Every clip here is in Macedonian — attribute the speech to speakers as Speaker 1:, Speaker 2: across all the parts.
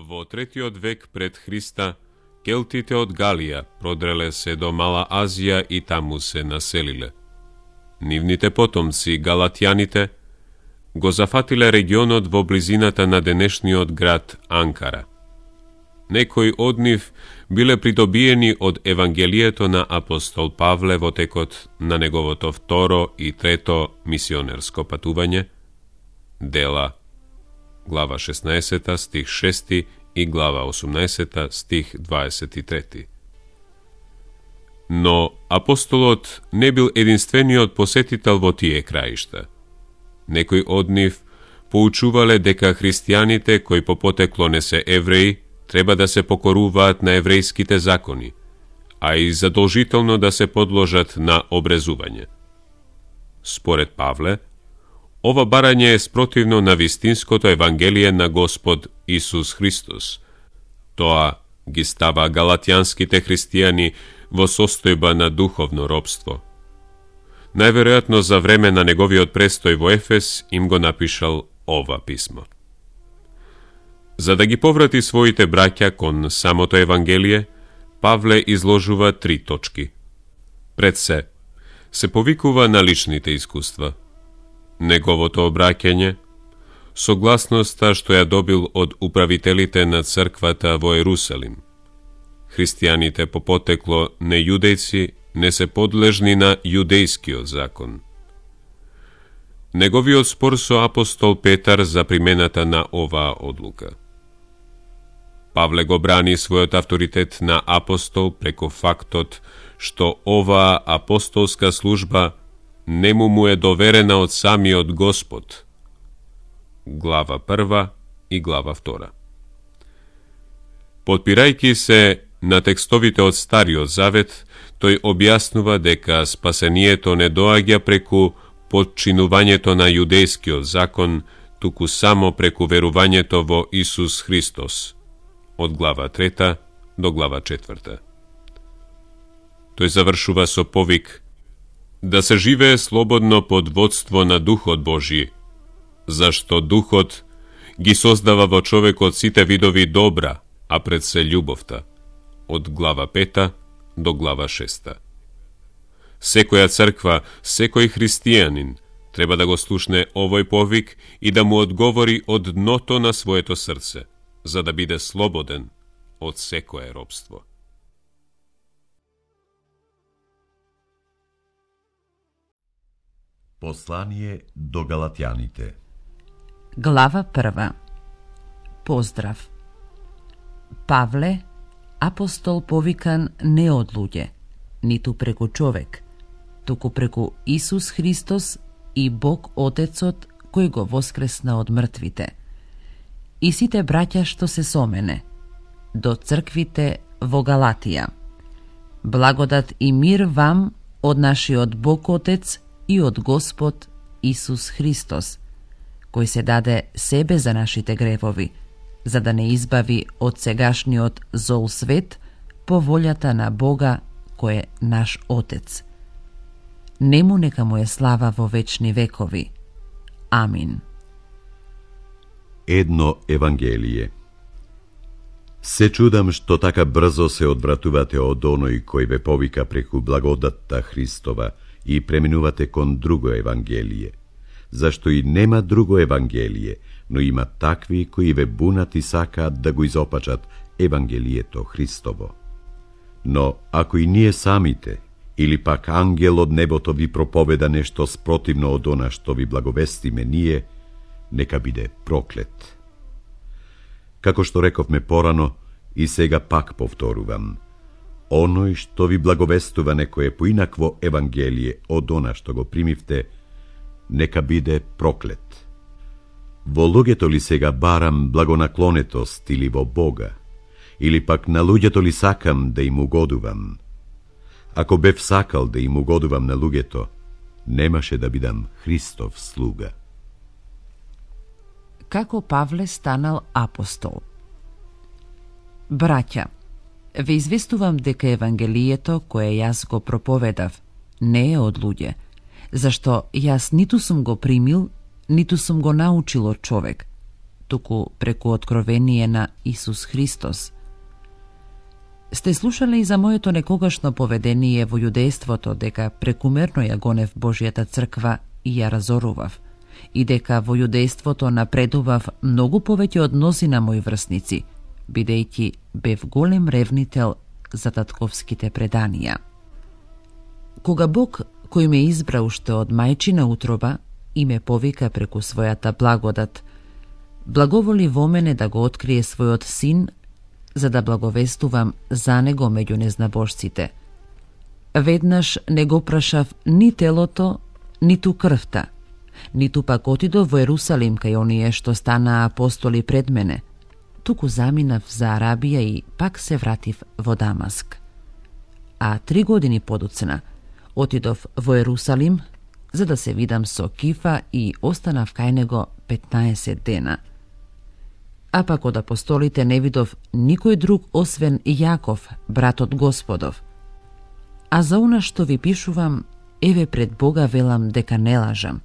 Speaker 1: Во 3. век пред Христа, келтите од Галија продреле се до Мала Азија и таму се населиле. Нивните потомци, галатјаните, го зафатиле регионот во близината на денешниот град Анкара. Некои од нив биле придобиени од Евангелието на апостол Павле во текот на неговото 2 и 3 мисионерско патување, Дела, глава 16, стих 6 и глава 18, стих 23. Но апостолот не бил единствениот посетител во тие краишта. Некои од нив поучувале дека христијаните кои по потекло не се евреи треба да се покоруваат на еврејските закони, а и задолжително да се подложат на обрезување. Според Павле, ова барање е спротивно на вистинското Евангелие на Господ Исус Христос. Тоа ги става галатјанските христијани во состојба на духовно робство. Најверојатно за време на неговиот престој во Ефес им го напишал ова писмо. За да ги поврати своите браќа кон самото Евангелие, Павле изложува 3 точки. Пред се повикува на личните искуства, неговото обраќање, согласноста што ја добил од управителите на црквата во Ерусалим. Христијаните по потекло не јудејци не се подлежни на јудејскиот закон. Неговиот спор со апостол Петар за примената на оваа одлука. Павле го брани својот авторитет на апостол преку фактот што оваа апостолска служба не му е доверена од самиот Господ. Глава 1 и глава 2. Подпирајќи се на текстовите од Стариот Завет, тој објаснува дека спасението не доаѓа преку подчинувањето на јудејскиот закон, туку само преку верувањето во Исус Христос, од глава 3 до глава 4. Тој завршува со повик да се живее слободно под водство на Духот Божји, зашто Духот ги создава во човекот сите видови добра, а пред се љубовта, од глава 5 до глава 6. Секоја црква, секој христијанин треба да го слушне овој повик и да му одговори од дното на своето срце, за да биде слободен од секое робство.
Speaker 2: Послание до галатјаните.
Speaker 3: Глава 1. Поздрав. Павле, апостол повикан не од луѓе, ниту преку човек, туку преку Исус Христос и Бог Отецот кој го воскресна од мртвите. И сите браќа што се со мене, до црквите во Галатија. Благодат и мир вам од нашиот Бог Отец и од Господ Исус Христос, кој се даде себе за нашите гревови, за да не избави од сегашниот зол свет по волјата на Бога кој е наш Отец. Нему нека му е слава во вечни векови. Амин.
Speaker 2: Едно Евангелие. Се чудам што така брзо се одвратувате од оној кој ве повика преку благодатта Христова и преминувате кон друго Евангелие, зашто и нема друго Евангелие, но има такви кои ве бунат и сакаат да го изопачат Евангелието Христово. Но ако и ние самите, или пак ангел од небото ви проповеда нешто спротивно од она што ви благовестиме ние, нека биде проклет. Како што рековме порано, и сега пак повторувам, оној што ви благовестува некое поинакво Евангелие од она што го примивте, нека биде проклет. Во луѓето ли сега барам благонаклонетост или во Бога, или пак на луѓето ли сакам да им угодувам? Ако бев сакал да им угодувам на луѓето, немаше да бидам Христов слуга.
Speaker 3: Како Павле станал апостол? Браќа, ве известувам дека Евангелието кое јас го проповедав не е од луѓе, зашто јас ниту сум го примил, ниту сум го научил од човек, туку преку откровение на Исус Христос. Сте слушале и за моето некогашно поведение во јудејството, дека прекумерно ја гонев Божјата црква и ја разорував, и дека во јудејството напредував многу повеќе од мнозина мои врсници, бидејќи бев голем ревнител за татковските преданија. Кога Бог, кој ме избра уште од мајчина утроба и ме повика преку својата благодат, благоволи во мене да го открие својот син, за да благовестувам за него меѓу незнабожците. Веднаш не го прашав ни телото, ниту крвта, ниту пак отидов во Ерусалим кај оние што станаа апостоли пред мене, туку заминав за Арабија и пак се вратив во Дамаск. А 3 години подоцна отидов во Ерусалим за да се видам со Кифа и останав кај него 15 дена. А пак од апостолите не видов никој друг освен Јаков, братот Господов. А за она што ви пишувам, еве пред Бога велам дека не лажам.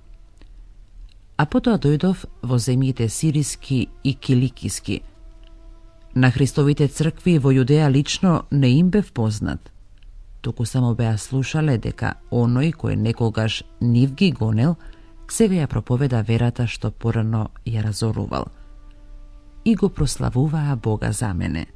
Speaker 3: А потоа дојдов во земјите Сириски и Киликиски. На Христовите цркви во Јудеја лично не им бев познат, туку само беа слушале дека оној кој некогаш нив ги гонел, сега ја проповеда верата што порано ја разорувал. И го прославуваа Бога за мене.